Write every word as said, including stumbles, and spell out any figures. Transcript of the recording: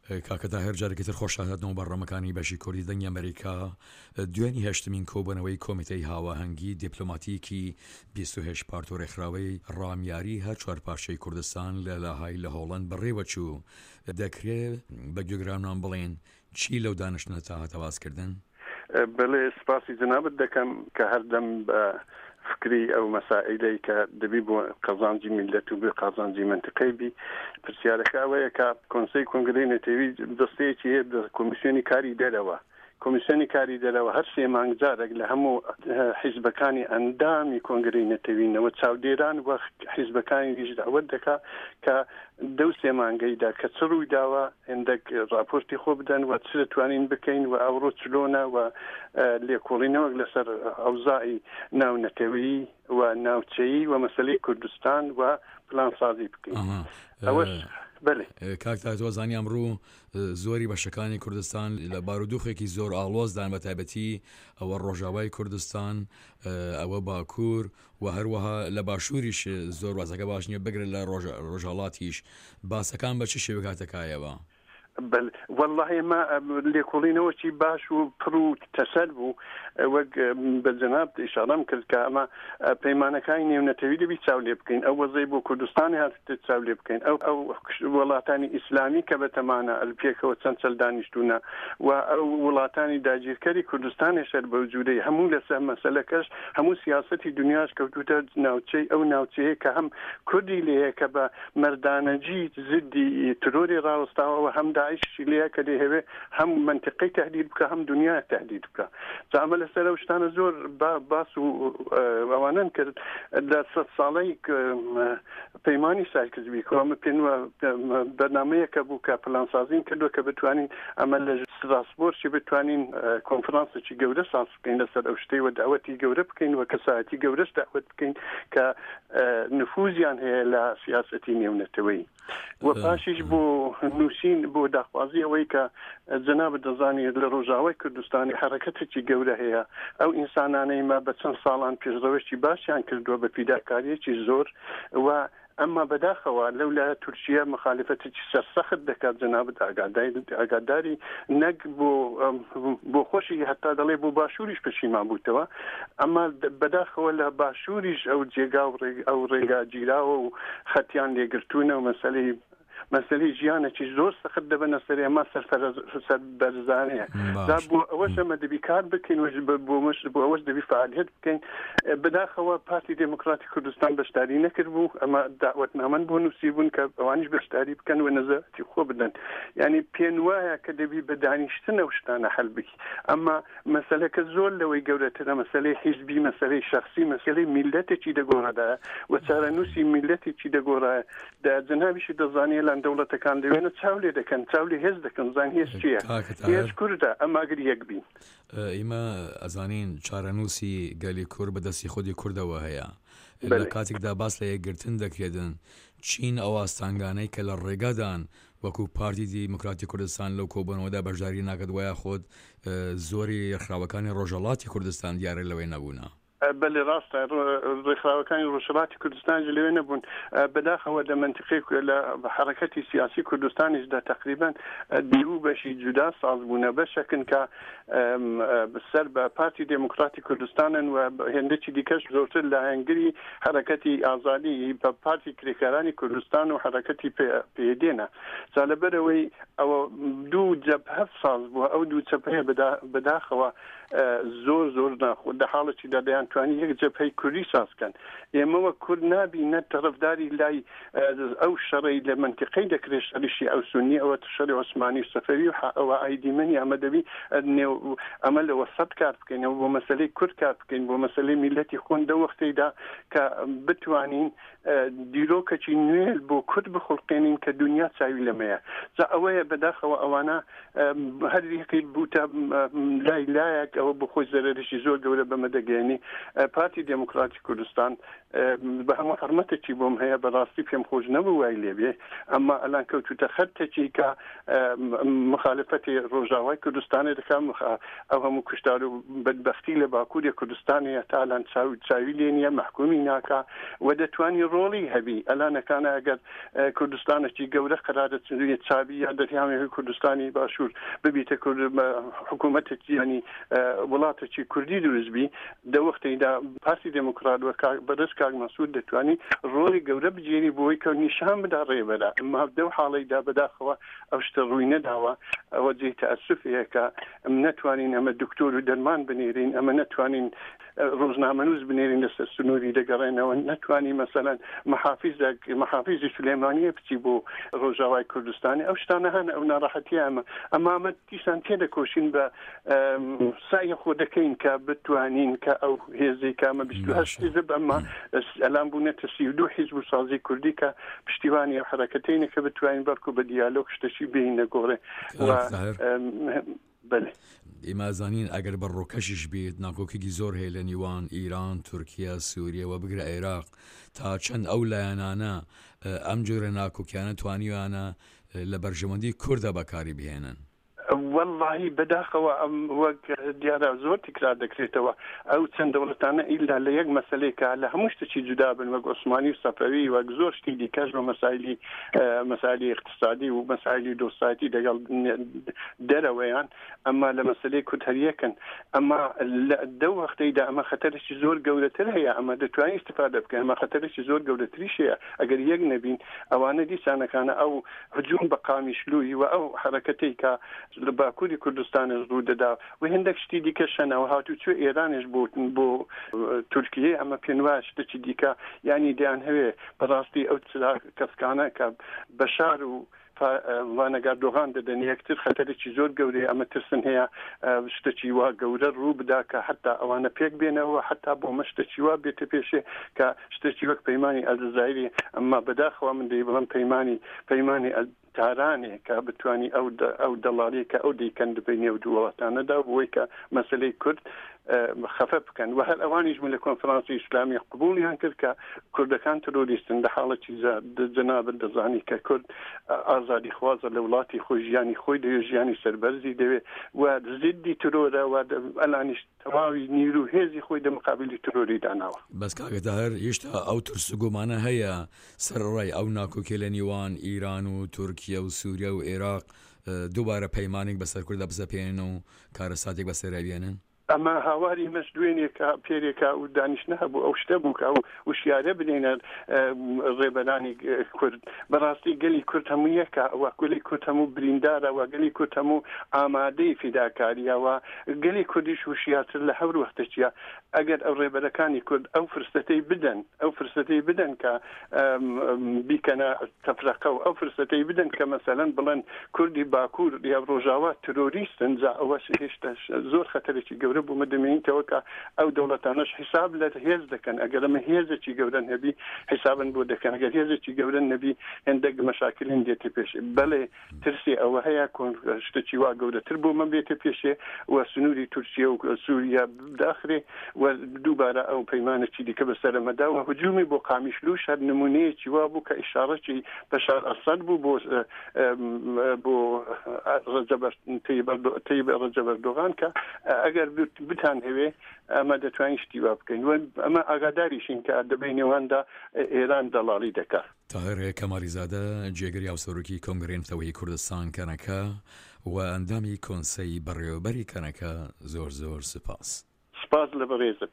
کاکە تاهێر جارێکی تر خۆشهاتنەوە بەرنامەکانی بەشی کوردی دەنگی ئەمریکا. دوێنی هەشتمین کۆبوونەوەی کۆمیتەی هاواهەنگی دیپلۆماتیکی بیست و هەشت پارت و ڕێکخراوەی ڕامیاری هەر چوار پارچەی کوردستان لە لاهای لە هۆڵەند بەڕێوەچوو. دەکرێ بە گوێگرانمان بڵێن چی لەو دانیشتنە تا هاتە باسکردن؟ بەڵێ، سپاسی جەنابت دەکەم کە هەردەم بە فکری ئەو مەسائلەی کە دەبی بۆ قەزانجی میللەت و بۆ قازانجی مەنتقەی بی. پرسیارەکە ئەوەیە کە کۆنسەی کۆنگرەی نەتەوی دەستەیەکی هەیە بە کۆمیسیۆنی کاری دەرەوە. کۆمیسیۆنی کاری دەرەوە هەر سێ مانگ جارێک لە هەموو حیزبەکانی ئەندامی کۆنگرەی نەتەوینەوە چاودێران و حیزبەکانی دیش داوت دەکا کە دەو سێ مانگەیدا کە چ ڕووی داوە هێندێک ڕاپۆرتی خۆ بدەن و چ دەتوانین بکەین و ئەوڕۆ چلۆنە و لێکۆڵینەوەک لەسەر ئەوزاعی ناونەتەوەیی و ناوچەیی و مەسەلەی کوردستان و پلانسازی بکەین. ئەوەش بەلێ. کاک تاهیر، تۆ زانی ئەمڕۆ زۆری بەشەکانی کوردستان لە بارودوخێکی زۆر ئاڵۆزدان، بە تایبەتی ئەوە ڕۆژاوای کوردستان، ئەوە باکوور و هەروەها لە باشووریش زۆر وەزعەکە باش نییە، بگرە لە ڕۆژهەڵاتیش. باسەکان بە چ شێوەیەک هاتە کایەوە؟ بەل وەڵڵاهی ئەمە لێکۆڵینەوەکی باش و پڕ و تەسەل بوو، وەک بە جەنابت ئیشاڕەم کرد کە ئەمە پەیمانەکانی نێونەتەوی دەبی چاو لێ بکەین، ئەو وەزەی بۆ کوردستانی هاتووتە چاو لێ بکەین، ئەو ئەو وڵاتانی ئیسلامی کە بەتەمانە پێکەوە چەند چەل دانیشتوونە و ئەو وڵاتانی داگیرکەری کوردستانیش هەر بەو جوورەی هەموو لەسەر مەسەلەکەش هەموو سیاسەتی دنیاش کەوتووتە ناوچەی ئەو ناوچەیە کە هەم کوردی لێیە کە بە مەردانەگی زدی ترۆری ڕاوەستاوە و هەم داعشی لێیە کە دەیهەوێ هەم مەنتیقەی تەهدید بکا هەم دنیا تەهدید بکا. جا ئەمە لەسەر ئەو شتانە زۆر باس و ئەوانەن کرد لە سەد ساڵەی پەیمانی سایکس بیکۆ. ئەمە پێن بەرنامەیەکە بوو کە پلانسازین کردووە کە بتوانین ئەمە لە ستراسبۆرگی بتوانین کۆنفرانسێکی گەورە ساز بکەین لەسەر ئەو شتەی و داوەتی گەورە بکەین و کەسایەتی گەورەش داوەت بکەین کە نفوزیان هەیە لە سیاسەتی نێونەتەوەیی. و پاشیش بۆ نووسین بۆ داخوازی ئەوەی کە جەنابت دەزانی لە ڕۆژاوای کوردستانی حەرەکەتێکی گەورە هەیە، ئەو ئینسانانەی مە بە چەند ساڵان پێشڕەوێکی باشیان کردووە بە فیداکاریەکی زۆر و ئەمما بەداخەوە لەو لایە تورکیە مخالفەتێکی سەرسەخت دەکات، جەنابت ئاگاداری نەک بۆ بۆ خۆشی هەتا دەڵێ بۆ باشووریش پەشیمان بووتەوە، ئەمما بەداخەوە لە باشووریش ئەو جێگا و ئەو ڕێگا گیراوە و خەتیان لێگرتوونە و مەسەلەی مەسەلەی ژیانێکی زۆر سەخت دەبەنە سەرێ، ئەمما سەرفەرز سەربەرزانەیە. جا بۆ ئەوەش ئەمە دەبی کار بکەین و بۆ بۆ ئەوەش دەبی فعالیت بکەین. بەداخەوە پارتی دێموکراتی کوردستان بەشداری نەکردبوو، ئەمە داوەتنامەن بۆ نووسی بوون کە ئەوانیش بەشداری بکەن و نەزەرەتی خۆ بدەن. یعنی پێن وایە کە دەبی بە دانیشتن ئەو شتانە حەل بکی، ئەمما مەسەلەکە زۆر لەوەی گەورەترە، مەسەلەی حیزبی، مەسەلەی شەخسی، مەسەلەی میللەتێکی دەگۆڕادایە و چارەنووسی میللەتێکی دەگۆڕایە. دا جەنابیشی دەزانێ لان دەوڵەتەکان لەوێنە چاو لێ دەکەن، چاو لێ هێز دەکەن، زان هێز چییە؟ هێز کوردە، ئەمما ئەگەر یەک بین. ئیمە ئەزانین چارەنووسی گەلی کورد بە دەستی خودی کوردەوە هەیە. لە کاتێکدا باس لە یەکگرتن دەکرێتن، چین ئەو ئاستانگانەی کە لە ڕێگادان وەکو پارتی دیموکراتی کوردستان لەو کۆبوونەوەدا بەشداری ناکات وەیاخود زۆری ڕێکخراوەکانی ڕۆژهەڵاتی کوردستان دیارە لەوێ نەبوونە. بەلێ ڕاستە ڕێکخراوەکانی ڕۆژهەڵاتی کوردستانیش لەوێ نەبوون. بەداخەوە لە مەنتیقەی لە حەڕەکەتی سیاسی کوردستانیشدا تەقریبەن دوو بەشی جودا ساز بوونە، بەشەکن کە سەر بە پارتی دێموکڕاتی کوردستانن و هێندێکی دیکەش زۆرتر لایەنگری حەڕەکەتی ئازادی بە پارتی کرێکارانی کوردستان و حەڕەکەتی پێدێنە. جا لەبەرئەوەی ئەوە دوو جەبهە ساز بووە، ئەو دوو جەبهەیە بەداخەوە زۆر زۆر ناخۆ دە حاڵەتیدا دەیانتوانی یەک جەبهەی کوردی ساز کەن. ئێمە وەک کورد نابی نە تەڕەفداری لای ئەو شەڕەی لە مەنتیقەی دەکرێ شەڕی شیعە و سوننی ئەوە شەڕی عوسمانی و سەفەوی و ئەوە ئایدی منی ئەمە دەبی نێو ئەمە لە وەسەت کار بکەین، ئەوە بۆ مەسەلەی کورد کار بکەین، بۆ مەسەلەی میللەتی خۆن دە وەختەیدا کە بتوانین دیرۆکەکی نوێ بۆ کورد بخوڵقێنین کە دونیا چاوی لەمەیە. جا ئەوەیە بەداخەوە ئەوانە هەر یەکەی بووتە لای لایەک ئەوە بۆ خۆی زەرەرێکی زۆر گەورە بەمە دەگەیەنی. پارتی دێموکراتی کوردستان بە هەموو حرمەتێکی بۆم هەیە، بەڕاستی پێم خۆش نەبوو وای لێبێ، ئەمما ئەلان کەوتوتە خەتێکی کە مخالفەتی ڕۆژاوای کوردستانی دەکا، ئەو هەموو کوشتار و بەدبەختی لە باکووری کوردستانەیە تا ئەلان چاوی لێ نییە، مەحکومی ناکا و دەتوانی ڕۆڵی هەبی. ئەلانەکانە ئەگەر کوردستانێکی گەورە قەرارە چاوی یا دەریامی کوردستانی باشوور ببیتە حکوومەتێکی ینی وڵاتێکی کوردی دروست بی، دە وەختیدا پارتی دێموکرات و بەڕێز کاک مەسعود دەتوانی ڕۆڵی گەورە بگێری بۆی کە نیشان بدا ڕێبەرە. ئەمما دەو حاڵەیدا بەداخەوە ئەو شتە ڕووی نەداوە. ئەوە جێی تەئەسوفەیە کە ئەم نەتوانین ئەمە دکتۆر و دەرمان بنێرین، ئەمە نەتوانین ڕۆژنامەنووس بنێرین لەسەر سنووری دەگەڕێنەوە، نەتوانی مەسەلەن محافیزێک محافیزی سولەیمانیە بچی بۆ ڕۆژاوای کوردستانی. ئەو شتانە هەن، ئەو ناڕەحەتیە ئەمە ئەمە ئەمە دیسان تێدەکۆشین بە سعی خۆ دەکەین کە بتوانین کە ئەو هێزەی کە ئەمە بیست و هەشت حیزب ئەمە ئەلان بوونەتە سی و دوو حیزب و سازی کوردی کە پشتیوانی ئەو حەرەکەتەینە کە بتوانین بەڵکو بە دیالۆگ شتەشی بێینە گۆڕێ. بەلێ ئێمە زانین ئەگەر بە ڕۆکەشیش بێت ناکۆکێکی زۆر هەیە لە نێوان ئیران، تورکیا، سووریە و بگرە عێراق، تا چەند ئەو لایەنانە ئەم جۆرە ناکۆکیانە توانیویانە لە بەرژەوەندی کوردە بەکاری بهێنن؟ واللهی بەداخەوە ئەم وەک دیارە زۆر تکرار دەکرێتەوە ئەو چەند دەوڵەتانە ئیلا لە یەک مەسلەیەکە لە هەموو شتێکی جودا بن، وەک عوسمانی و سەفەوی، وەک زۆر شتی دیکەش بە مەسایلی مەسایلی اقتصادی و مەسایلی دۆستایەتی دەگەڵ دەرەوەیان، ئەمما لە مەسلەی کورد هەر یەکن. ئەمما دەو وەختەیدا ئەمە خەتەرێکی زۆر گەورەتر هەیە، ئەمە دەتوانین استفادە بکەین، ئەمە خەتەرێکی زۆر گەورەتریش هەیە ئەگەر یەک نەبین. ئەوانە دیسانەکانە ئەو هجوم بە قامیشلووی و ئەو حەرەکەتەی کە لە باکووری کوردستانش ڕوو دەدا و هەندێک شتی دیکە شەنەوە هاتوچۆ ئێرانش بۆ بۆ تورکیە، ئەمە پێم وایە شتێکی دیکە ینی دەیان هەوێ بەڕاستی ئەو کەسکانە کە بەشار و وانەگاردۆغان دەدەن یەکتر خەتەرێکی زۆر گەورەیە. ئەمە ترسن هەیە شتێکی وا گەورە ڕوو بدا کە حتا ئەوانە پێک بێنەوە، حتا بۆ مە شتێکی وا بێتە پێشێ کە شتێکی وەک پەیمانی ئەلجەزایری. ئەمما بەداخەوە من دەی بڵێم پەیمانی پەیمانی تارانێ کە بتوانی ئەو ئەو دەڵالی کە ئەو دەیکەن بینێ و دوو وڵاتانەدا بۆی کە مەسلەی کورد خەفە بکەن. و هەر ئەوانیش من لە کۆنفرانسی ئیسلامی قبولیان کرد کە کوردەکان ترۆریستن. لە حاڵەتی جەنابت دەزانی کە کورد ئازادی خوازە لە وڵاتی خۆی، ژیانی خۆی دەوێت، ژیانی سەربەرزی دەوێت و زیدی ترۆرە و ئەلانیش تەواوی نیرو هێزی خۆی دە مقابلی ترۆری داناوە. بەس کاکە تاهر هێشتا ئەو ترس و گومانە هەیە سەرڕای ئەو ناکۆکی لە نێوان ئیران و تورکیا و سووریا و عێراق دووبارە پەیمانێک بەسەر کورددا بسەپێنن و کارەساتێک بەسەرا بێنن؟ ئەمە هاواری مەش دوێنێکە پێرێکە و دانیشتە هەبوو ئەو شتە بوو کە ئەو وشیارە بنێنە ڕێبەرانی کورد. بەڕاستی گەلی کورد هەموو یەکە، وە گەلی کورد هەموو بریندارە، وە گەلی کورد هەموو ئامادەی فیداکاریە، وە گەلی کوردیش وشیارتر لە هەر وەختێکیە. ئەگەر ئەو ڕێبەرەکانی کورد ئەو فرسەتەی بدەن، ئەو فرسەتەی بدەن کە بیکەنە تەفرەقە و ئەو فرسەتەی بدەن کە مەسەلەن بڵێن کوردی باکوور یا ڕۆژاوا ترۆریستن، جا ئەوەش هێشتا زۆر خەتەرێکی گەورە بوو. دەمێنیتەوە کە ئەو دەوڵەتانەش حیساب لە هێز دەکەن. ئەگەر ئەمە هێزێکی گەورە نەبی حیسابن بۆ دەکەن، ئەگەر هێزێکی گەورە نەبی هەندێک مەشاکلین دێتە پێشێ. بەڵێ ترسی ئەوە هەیە کۆن شتێکی وا گەورەتر بۆ من بێتە پێشێ و سنووری تورکیا و سووریا بداخرێ و دووبارە ئەو پەیمانێکی دیکە بەسەرەمەدا و هجومی بۆ قامیشلوش هەر نمونەیەکی وا بوو کە ئیشارەکی بەشار ئەسەد بوو بۆ بۆ تەیب ڕەجەب ئەردۆغان کە ئەگەر بتان هەوێ ئەمە دەتوانین شتی وا بکەین. ئەمە ئاگاداریشین کە دەبەی نێواندا ئێران دەڵاڵی دەکات. تاهر کەمالیزادە جێگری هاوسەرۆکی کۆنگرەی نەتەوەیی کوردستان کەنەکە و ئەندامی کۆنسەی بەڕێوەبەری کەنەکە، زۆر زۆر سپاس. سپاس لە بەڕێزت.